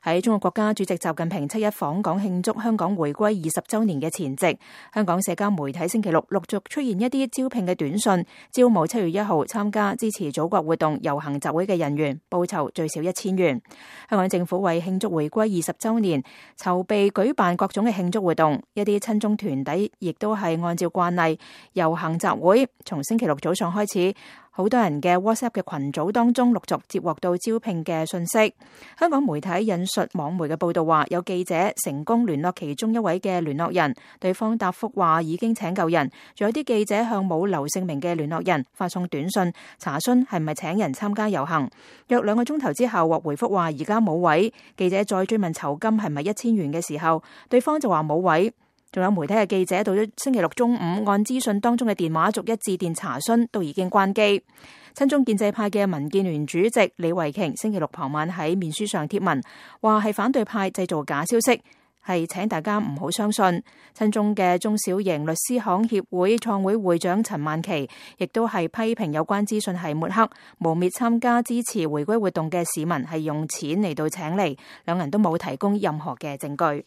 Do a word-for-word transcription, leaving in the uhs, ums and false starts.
喺中國國家主席習近平七一訪港慶祝香港回歸二十週年嘅前夕，香港社交媒體星期六陸續出現一啲招聘嘅短信，招募七月一號參加支持祖國活動遊行集會嘅人員，報酬最少一千元。香港政府為慶祝回歸二十週年，籌備舉辦各種嘅慶祝活動，一啲親中團體亦都係按照慣例遊行集會。從星期六早上開始，好多人嘅 WhatsApp 嘅群組當中陸續接獲到招聘嘅信息。香港媒體引述網媒嘅報道話，有記者成功聯絡其中一位嘅聯絡人，對方答覆話已經請夠人。仲有啲記者向冇留姓名嘅聯絡人發送短信，查詢係咪請人參加遊行。約兩個鐘頭之後獲回覆話而家冇位。記者再追問酬金係咪一千元嘅時候，對方就話冇位。仲有媒體嘅記者到咗星期六中午，按資訊當中嘅電話逐一致電查詢，都已經關機。親中建制派嘅民建聯主席李慧瓊星期六傍晚喺面書上貼文，話係反對派製造假消息，係請大家唔好相信。親中嘅中小型律師行協會創會會長陳曼琪亦都係批評有關資訊係抹黑，誣衊參加支持回歸活動嘅市民係用錢嚟到請嚟，兩人都冇提供任何嘅證據。